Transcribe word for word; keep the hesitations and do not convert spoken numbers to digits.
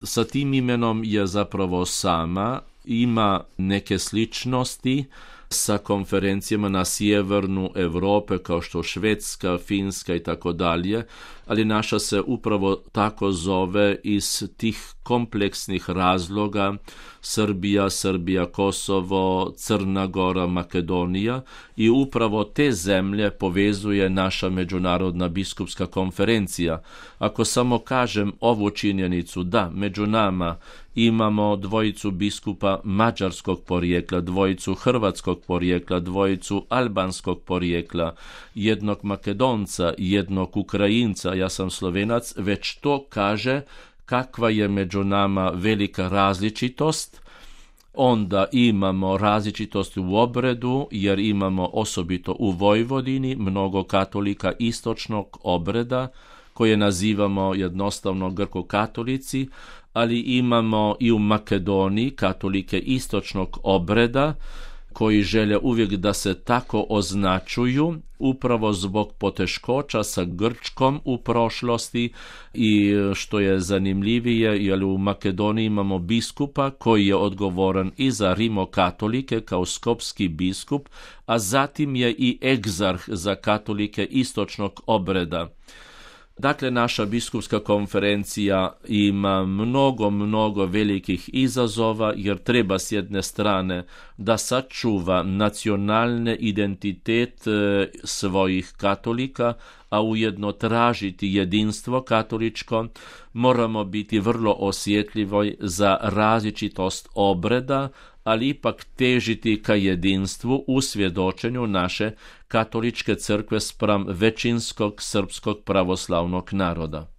Sa tim imenom je zapravo sama, ima neke sličnosti sa konferencijama na sjevernu Europe kao što Švedska, Finska i tako dalje, ali naša se upravo tako zove iz tih kompleksnih razloga: Srbija, Srbija, Kosovo, Crna Gora, Makedonija, i upravo te zemlje povezuje naša međunarodna biskupska konferencija. Ako samo kažem ovu činjenicu da među nama imamo dvojicu biskupa mađarskog porijekla, dvojicu hrvatskog porijekla, dvojicu albanskog porijekla, jednog Makedonca, jednog Ukrajinca, ja sam Slovenac, već to kaže kakva je među nama velika različitost. Onda imamo različitost u obredu, jer imamo osobito u Vojvodini mnogo katolika istočnog obreda, koje nazivamo jednostavno grko-katolici, ali imamo i u Makedoniji katolike istočnog obreda, koji žele uvijek da se tako označuju, upravo zbog poteškoća sa Grčkom u prošlosti. I što je zanimljivije, jer u Makedoniji imamo biskupa koji je odgovoran i za rimokatolike kao skopski biskup, a zatim je i egzarh za katolike istočnog obreda. Dakle, naša biskupska konferencija ima mnogo, mnogo velikih izazova, jer treba s jedne strane da sačuva nacionalni identitet svojih katolika, a ujedno tražiti jedinstvo katoličko. Moramo biti vrlo osjetljivi za različitost obreda, ali ipak težiti ka jedinstvu u svjedočenju naše katoličke crkve spram većinskog srpskog pravoslavnog naroda.